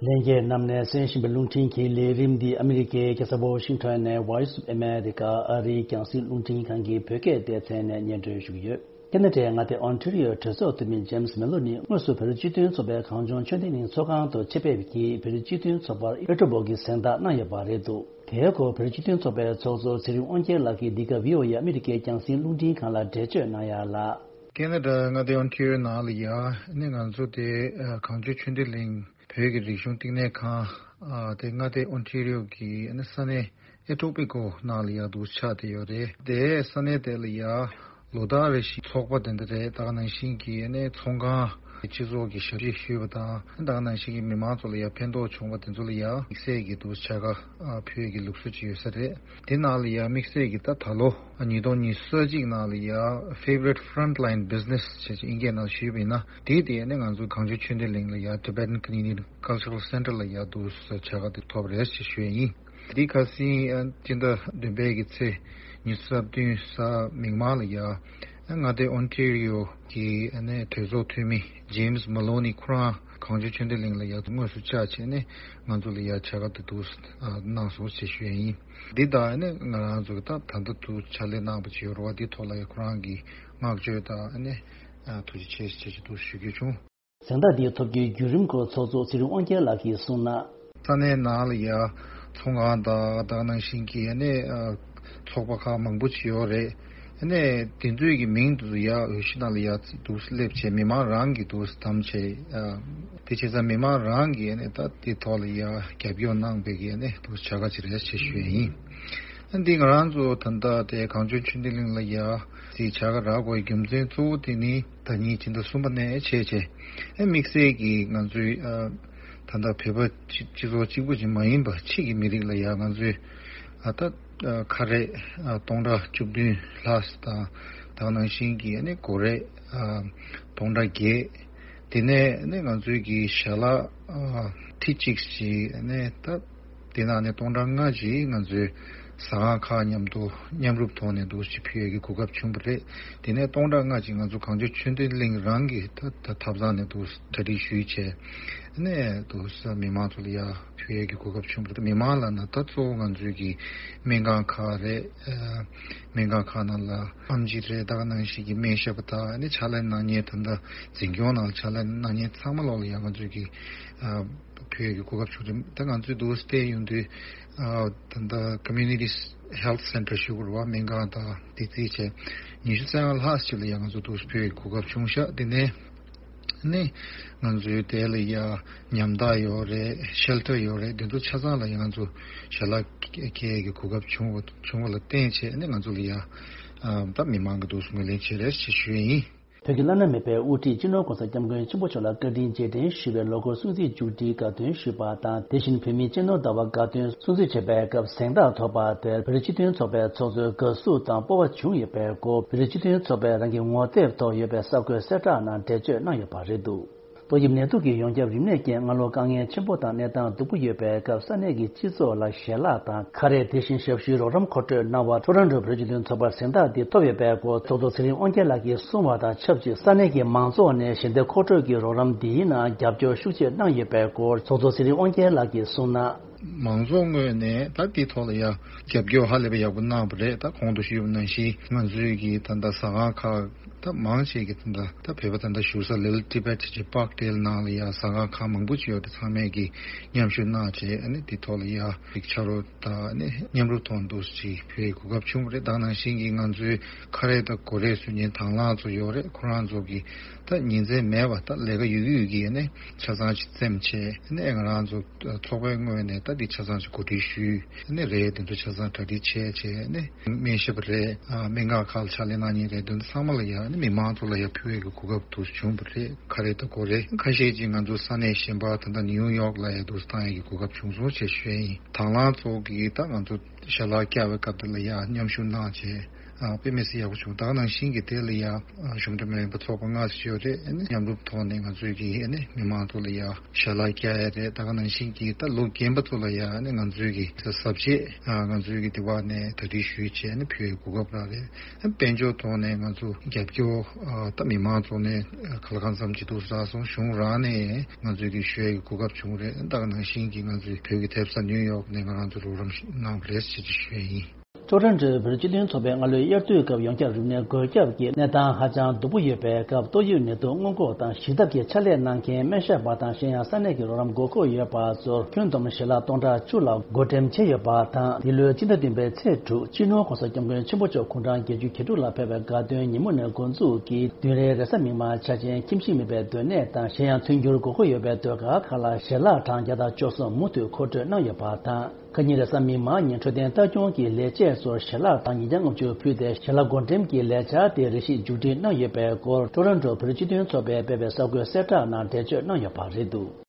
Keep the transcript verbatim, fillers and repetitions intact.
ལྷན་རྒྱས་རྣམས་ནས་གསན་བཞིན་པའི་རླུང་འཕྲིན་གྱི་ལས་རིམ་འདི་ཨ་མི་རི་ཀའི་རྒྱལ་ས་ཝ་ཤིང་ཊོན་ནས་Voice of America ཨ་རིའི་རྒྱང་སྲིང་རླུང་འཕྲིན་ཁང་གི་བོད་སྐད་སྡེ་ཚན་ནས་སྙན་སྒྲོན་ཞུ་གི་ཡོད། ཁེ་ན་ཌའི་མངའ་སྡེ་ཨོན་ཊ་རི་ཡོ་གྲོས་ཚོགས་འཐུས་མི་ཇེམ་སི་མེ་ལོ་ནི་དངོས་སུ་བོད་རིགས་སྤྱི་མཐུན་ཚོགས་པའི་གངས་ལྗོངས་ཆོས་ལྡན་གླིང་ཚོགས་ཁང་དུ་ཆེད་ཕེབས་ཀྱིས་བོད་རིགས་སྤྱི་མཐུན་ཚོགས་པར་ཨེ་ཊ་བོ་གི་གཟེངས་རྟགས་གནང་ཡོད་པ་རེད་འདུག་དེའི་སྐོར་བོད་རིགས་སྤྱི་མཐུན་ཚོགས་པའི་ཚོགས་གཙོ་ཚེ་རིང་དབང་རྒྱལ་ལགས་ཀྱིས་འདི་ག་བྷི་ཨོ་ཨེ་ཨ་མི་རི་ཀའི་རྒྱང་སྲིང་རླུང་འཕྲིན་ཁང་ལ་འགྲེལ་བརྗོད་གནང་ཡག་ལ། ཁེ་ན་ཌ་མངའ་སྡེ་ཨོན་ཊ་རི་ཡོ་ནང་ལ་ཡ་ནི་ང་ཚོ་དེ་གངས་ལྗོངས་ཆོས་ལྡན་གླིང་བོད་ཀྱི་རིག་གཞུང་བསྟི་གནས་ཁང་དེ་མངའ་སྡེ་ཨོན་ཊ་རི་ཡོ་གི་ས་གནས་ཨེ་ཊོ་པི་ཀོ་ནང་ལ་ཡ་འདུག་ཆགས་བསྡད་ཡོད་རེད། དེ་ས་གནས་དེ་ལ་ཡ་ལོ་ལྟར་རེ་བཞིན་ཚོགས་པ་དེ་འདྲ་རེད། ད་ག་ནང་བཞིན་གྱི་ནས་ཚོང་ཁང་སྤྱི་ཚོགས་ཀྱི་ཞབས་ཕྱི་ཞུས་པ་དང་ད་ག་ནང་བཞིན་གྱི་མི་མང་ཚོ་ལ་ཡ་ཕན་ཐོགས་བྱུང་བ་དེ་ཚོ་ལ་ཡ་དམིགས་བསལ་གྱི་འདུག་བྱ་དགའ་ཕུལ་ཡས་ཀྱི་ལུགས་སྲོལ་ཅིག་ཡོད་ས་རེད། དེ་ནང་ལ་ཡ་དམིགས་བསལ་གྱི་ད་ད་ལོ་ཉིས་སྟོང་ཉི་ཤུ་རྩ་གཅིག་ནང་ལ་ཡ་Favorite Frontline Business ཞེས་ཨིན་སྐད་ནང་ཞུས་པ་ཡིན་ན་དེ་དེ་ནས་ང་ཚོ་གངས་ལྗོངས་ཆོས་ལྡན་གླིང་ལ་ཡ་Tibetan Canadian Cultural Center ལ་ཡ་འདུག་བྱ་དགའ་དེ་ཐོབ་རེད་ཞེས་ཞུས་ཡིན། འདི་ཁ་སང་སྤྱི་ཟླ་བདུན་པའི་གི་ཚེས་ཉི་ཤུ་རྩ་བདུན་གཟའ་མིག་དམར་ལ་ཡ་མངའ་སྡེ་ཨོན་ཊ་རི་ཡོ་གི་གྲོས་ཚོགས་འཐུས་མི་ཇེམ་སི་མ་ལོ་ནི་ཁོ་རང་གངས་ལྗོངས་ཆོས་ལྡན་གླིང་ལ་ཡ་དངོས་སུ་བཅར་བྱས་ནས་ང་ཚོ་ལ་ཡ་བྱ་དགའ་དེ་འདུག་གནང་སོང་ཞེས་ཞུ་ཡ་ཡིན། འདི་དག་ནི་ང་རང་ཚོ་གི་ད་ད་ལྟ་དུ་ཕྱག་ལས་གནང་བ་ཅིག་ཡོད་རེད་བ། འདི་ཐོག་ལ་ཡ་ཁོ་རང་གི་བསྔགས་བརྗོད་དང་ནི་ཐུགས་རྗེ་ཆེ་ཞེས་ཞུ་རྒྱུ་བྱུང་། གཟེངས་རྟགས་འདི་ཐོབ་རྒྱུའི་བརྒྱུད་རིམ་སྐོར་ཚོགས་གཙོ་ཚེ་རིང་དབང་རྒྱལ་ལགས་ཀྱིས་གསུངས་ན། ས་གནས་ནང་ལ་ཡ་ཚོང་ཁང་དང་ད་ག་ནང་བཞིན་གྱི་ནི་ཚོགས་པ་ཁག་མང་པོ་ཅིག་ཡོད་རེད། ནས་དེ་ཚོའི་གི་མིང་དེ་ཚོ་ཡ་འོས་གཞི་ནང་ལ་ཡ་འདུག་སླེབས་བྱས་མི་མང་རང་གིས་འདུག་བདམས་བྱས། དེ་བྱས་ཙང་མི་མང་རང་གིས་ནས་ད་དེ་ཐོག་ལ་ཡ་རྒྱབ་སྐྱོར་གནང་བའི་གི་ནས་འདུག་བྱ་དགའ་ཅིག་རེད་ཅེས་ཞུ་ཡ་ཡིན། འདི་ང་རང་ཚོ་ད་ལྟ་དེ་གངས་ལྗོངས་ཆོས་ལྡན་གླིང་ལ་ཡ་དེ་བྱ་དགའ་རག་དགོས་རྒྱུ་མཚན་གཙོ་བོ་དེ་ནི་ཟླ་ཉིན་སྤྱི་ཟླ་གསུམ་པ་ནས་བྱས་བྱས་དམིགས་བསལ་གྱི་ང་ཚོའི་ད་ལྟ་བོད་པ་སྤྱི་ཚོགས་གཅིག་པུ་ཅིག་མ་ཡིན་པ་ཕྱི་གི་མི་རིགས་ལ་ཡ་ང་ཚོའི་ཨ་ད་ཨ་ཁ་རས་ཨ་སྟོང་ཕྲག་བཅུ་བདུན་ལྷག་དང་ད་ག་ནང་བཞིན་གྱི་ཨ་ནི་གོ་རས་ཨ་སྟོང་ཕྲག་བརྒྱད། དེ་ནས་ཨ་ནི་ང་ཚོའི་གི་ཞལ་ལག་ཨ་ཁྲི་གཅིག་ཅིག་ཨ་ནི་ད་དེ་ནང་ནས་སྟོང་ཕྲག་ལྔ་ཅིག་ང་ཚོའི་ཟ་ཁང་ཁག་མཉམ་དུ་མཉམ་རུབ་ཐོག་ནས་འདུག་ཅིག་ཕུལ་ཡས་ཀྱི་གོ་སྐབས་བྱུང་བ་རེད། དེ་ནས་སྟོང་ཕྲག་ལྔ་ཅིག་ང་ཚོ་གངས་ལྗོངས་ཆོས་ལྡན་གླིང་རང་གི་ད་ད་ཐབ་ཚང་ནས་འདུག་གྲ་སྒྲིག་ཞུས་བྱས་ཨ་ནི་འདུག་མི་མང་ཚོ་ལ་ཡ་ཕུལ་ཡས་ཀྱི་གོ་སྐབས་བྱུང་བ་རེད། མི་མང་ལ་ན་ད་གཙོ་བོ་ང་ཚོའི་གི་སྨན་ཁང་ཁག་རེད། ཨ་སྨན་ཁང་ཁག་ནང་ལ་ཨེམ་ཆི་རེད། ད་ག་ནང་བཞིན་གྱི་སྨན་ཞབས་པ་དང་ཨ་ནི་ཕྱག་ལས་གནང་མཁན་ད་ལྟ་འཛིན་སྐྱོང་ནང་ལ་ཕྱག་ལས་གནང་མཁན་ཚང་མ་ལོག་ལ་ཡ་ང་ཚོའི་གི་ཨ་ཕུལ་ཡས་ཀྱི་གོ་སྐབས་བྱུང་རེད། ད་ང་ཚོའི་འདུག་སེ་བལྟས་ཡོང་དུས་ཨ་ད་ལྟ་Community Health Center ཞུ་དགོས་རེད་བ། སྨན་ཁང་དང་དེ་རྩིས་བྱས་ཉི་ཤུ་རྩ་ལྔ་ལྷག་ཅིག་ལ་ཡ་ང་ཚོ་འདུག་སེ་ཕུལ་ཡས་ཀྱི་གོ་སྐབས་བྱུང་ཤག་དེ་ནས་ནི་ང་ཚོའི་དེ་ལ་ཡ་ཉམས་ཐག་ཡོད་རེད། ཤེལ་ཊར་ཡོད་རེད། དེ་ཚོ་ཆ་ཚང་ལ་ཡ་ང་ཚོ་ཞལ་ལག་འཁྱེར་ཡས་ཀྱི་གོ་སྐབས་བྱུང་བ་བྱུང་བ་ལ་བརྟེན་བྱས་ནི་ང་ཚོ་ལ་ཡ་ཨ་ད་མི་མང་གི་འདུག་སེ་ངོས་ལེན་བྱེད་རེད་ཅེས་ཞུ་ཡས་ཡིན། བོད་ཀྱི་བླ་ན་མེད་པའི་དབུ་ཁྲིད་སྤྱི་ནོར་༸གོང་ས་༸སྐྱབས་མགོན་ཆེན་པོ་མཆོག་ལ་བཀའ་དྲིན་རྗེས་དྲན་ཞུ་བའི་ལོ་འཁོར་སྲུང་བརྩིའི་མཇུག་སྒྲིལ་དགའ་སྟོན་ཞུས་པ་དང་། དེ་བཞིན་བོད་མིའི་སྤྱི་ནོར་ཟླ་བ་དགའ་སྟོན་སྲུང་བརྩི་བྱེད་པའི་སྐབས་གཟེངས་རྟགས་ཐོབ་པ་དེར་བོད་རིགས་སྤྱི་མཐུན་ཚོགས་པའི་ཚོགས་གཙོས་དགའ་བསུ་དང་སྤོབས་པ་བྱུང་ཡོད་པའི་སྐོར་བོད་རིགས་སྤྱི་མཐུན་ཚོགས་པས་རང་གི་ངོ་དེབ་ཐོག་ཡོད་པའི་གསར་འགོད་གསལ་བསྒྲགས་ནང་འགྲེལ་བརྗོད་གནང་ཡོད་པ་རེད་འདུག་ཏོག་དབྱིབས་ནད་དུག་གི་ཡོངས་ཁྱབ་རིམས་ནད་རྐྱེན་སྔ་ལོ་དཀའ་ངལ་ཆེན་པོ་དང་གནས་སྟངས་སྡུག་པོ་ཡོད་པའི་སྐབས་ས་གནས་ཀྱི་སྤྱི་ཚོགས་ལ་ཞལ་ལག་དང་ཁ་རས། དེ་བཞིན་ཞབས་ཞུའི་རོགས་རམ་མཁོ་སྤྲོད་གནང་བར་ཊོ་རོན་ཊོ་བོད་རིགས་སྤྱི་མཐུན་ཚོགས་པར་གཟེངས་རྟགས་འདི་ཐོབ་ཡོད་པའི་སྐོར་ཚོགས་གཙོ་ཚེ་རིང་དབང་རྒྱལ་ལགས་ཀྱིས་གསུངས་པ་དང་ཆབས་ཅིག་ས་གནས་ཀྱི་མང་ཚོགས་ནས་ཞལ་འདེབས་མཁོ་སྤྲོད་ཀྱི་རོགས་རམ་འདིའི་ནང་རྒྱབ་སྐྱོར་ཤུགས་ཆེ་གནང་ཡོད་པའི་སྐོར་ཚོགས་གཙོ་ཚེ་རིང་དབང་རྒྱལ་ལགས་ཀྱིས་གསུངས་ན། མང་ཚོགས་ངོས་ནས་ད་འདི་ཐོག་ལ་ཡ་རྒྱབ་སྐྱོར་ཧ་ལས་པ་ཡག་པོ་གནང་བ་རེད། ད་གོང་དུ་ཞུས་པ་ནང་བཞིན་ང་ཚོའི་གི་ད་ལྟ་ཟ་ཁང་ཁག་ད་མང་ཆེ་གི་ད་ལྟ་ད་བོད་པ་ད་ལྟ་བཞུགས་ས་Little Tibet ཅེས་པཱག་ཌེལ་ནང་ལ་ཡ་ཟ་ཁང་ཁག་མང་པོ་ཅིག་ཡོད་རེད། ཚང་མས་གི་མཉམ་ཞུགས་གནང་བྱས་ཨ་ནི་འདི་ཐོག་ལ་ཡ་རིགས་ཆ་རོགས་དང་ཨ་ནི་མཉམ་རུབ་ཐོག་འདུག་ཅིག་ཕུལ་གོ་སྐབས་བྱུང་བ་རེད། ད་ནང་བཞིན་གི་ང་ཚོའི་ཁ་རས་དང་གོ་རས་བཟོ་མཁན་དང་བླངས་ཚོ་ཡོད་རེད། ཁོ་རང་ཚོ་གི་ད་ཉིན་མཚན་མེད་པ་ད་ལས་ཀ་ཡོད་ཀྱི་ཡོད་ཀྱི་ཨ་ནི་ཆ་ཚང་ཅིག་བཙེམས་བྱས་ཨ་ནི་ང་རང་ཚོ་ཚོགས་པའི་ངོས་ནས་ད་འདི་ཆ་ཚང་ཅིག་གོ་སྒྲིག་ཞུས། ཨ་ནི་རས་དེ་ཚོ་ཆ་ཚང་གྲ་སྒྲིག་བྱས་བྱས་ཨ་ནི་སྨན་ཞབས་རས། ཨ་སྨན་ཁང་ཁག་ལ་ཕྱག་ལས་གནང་མཁན་རས་དེ་ཚོ་ཚང་མ་ལ་ཡ་ཨ་ནི་མི་མང་ཚོ་ལ་ཡ་ཕུལ་བའི་གོ་སྐབས་དུ་བྱུང་བ་རེད། ཁ་རས་དང་གོ་རས་ཁ་ཤས་ཅིག་ང་ཚོ་ས་གནས་གཞན་པ་ད་ལྟ་ནིའུ་ཡོག་ལ་ཡ་དུ་བཏང་ཡས་ཀྱི་གོ་སྐབས་བྱུང་སོང་ཞེས་ཞུ་ཡས་ཡིན། དང་བླངས་ཚོ་གིས་ད་ང་ཚོ་ཞལ་ལག་བཀྱག་པའི་སྐབས་དེ་ལ་ཡ་མཉམ་ཞུགས་གནང་བྱས་ དཔེ་མི་སྲིད་ཡག་པོ་བྱུང་། ད་ག་ནང་བཞིན་གྱི་དེ་ལ་ཡ་གཞུང་འབྲེལ་མ་ཡིན་པ་ཚོགས་པ་ལྔ་ཞིག་ཡོད་རེད། ཨ་ནི་མཉམ་རུབ་ཐོག་ནས་ང་ཚོའི་གི་ཨ་ནི་མི་མང་ཚོ་ལ་ཡ་ཞལ་ལག་བཀྱག་ཡ་རེད། ད་ག་ནང་བཞིན་གྱི་ད་ལོ་རྒན་པ་ཚོ་ལ་ཡ་ཨ་ནི་ང་ཚོའི་གི་གཟབ་ཆས་ང་ཚོའི་གི་དེ་བ་ནས་གྲ་སྒྲིག་ཞུས་བྱས་ཨ་ནི་ཕུལ་བའི་གོ་སྐབས་རག་རེད། དཔལ་འབྱོར་ཐོག་ནས་ང་ཚོ་རྒྱབ་སྐྱོར་ད་མི་མང་ཚོ་ནས་ག་ལ་གང་འཚམ་ཅིག་ཐུགས་སྲ་སོང་། གཞུང་རང་ནས་ང་ཚོའི་གི་ཞུ་ཡ་གི་གོ་སྐབས་བྱུང་རེད། ད་ག་ནང་བཞིན་གྱི་ང་ཚོའི་བོད་ཀྱི་ཐེབས་རྩ་ནིའུ་ཡོག་ནས་ང་རང་ཚོ་རོགས་རམ་གནང་བ་རེད་ཅེས་ཞུ་ཡ་ཡིན། ཊོ་རོན་ཊོའི་བོད་སྤྱི་མཐུན་ཚོགས་པའི་སྔ་ལོའི་དབྱར་དུས་སྐབས་ཡོངས་ཁྱབ་རིམས་ནད་འགོས་ཁྱབ་ཀྱི་གནས་སྟངས་ཧ་ཅང་སྡུག་པོ་ཡོད་པའི་སྐབས། ཏོག་དབྱིབས་ནད་དུག་སྔོན་འགོག་དང་ཞི་ཐབས་ཀྱི་ཕྱག་ལས་གནང་མཁན་སྨན་ཞབས་པ་དང་གཞན་ཡང་ས་གནས་ཀྱི་རོགས་རམ་དགོས་མཁོ་ཡོད་པ་ཚོར་ཁྱོན་བསྡོམས་ཞལ་ལག་སྟོང་ཕྲག་བཅུ་ལ་བགོ་འགྲེམས་བྱས་ཡོད་པ་དང་། འདི་ལོའི་སྤྱི་ཟླ་བདུན་པའི་ཚེས་དྲུག་སྤྱི་ནོར་༸གོང་ས་༸སྐྱབས་མགོན་ཆེན་པོ་མཆོག་དགུང་གྲངས་བརྒྱད་ཅུ་གྱ་དྲུག་ལ་ཕེབས་པའི་དགའ་སྟོན་ཉིན་མོ་ནས་འགོ་འཛུགས་ཀྱིས་བདུན་རེའི་རེས་གཟའ་མིག་དམར་འཆར་ཅན་ཁྱིམ་གཞིས་མེད་པའི་སྡོད་གནས་དང་གཞན་ཡང་མཐུན་འགྱུར་དགོས་མཁོ་ཡོད་པའི་སྡོད་སྒར་ཁག་ལ་ཞལ་ལག་གྲངས་བརྒྱ་དང་བཅུ་གསུམ་མུ་མཐུད་མཁོ་སྤྲོད་གནང་ཡོད་པ་དང་། ཁ་ཉིན་རེས་གཟའ་མིག་དམར་ཉིན་འཕྲོད་བསྟེན་ལྟ་སྐྱོང་གི་ལས་བྱེད་ཚོར་ཞལ་ལག་གྲངས་ཉིས་བརྒྱ་ལྔ་བཅུ་ཕུལ་ཏེ། ཞལ་ལག་བགོ་འགྲེམས་ཀྱི་ལས་འཆར་དེ་རེ་ཞིག་མཇུག་སྒྲིལ་གནང་ཡོད་པའི་སྐོར་ཊོ་རོན་ཊོ་བོད་རིགས་སྤྱི་མཐུན་ཚོགས་པས་སྤེལ་བའི་གསར་འགོད་གསལ་བསྒྲགས་ནང་འགྲེལ་བརྗོད་གནང་ཡོད་པ་རེད་འདུག།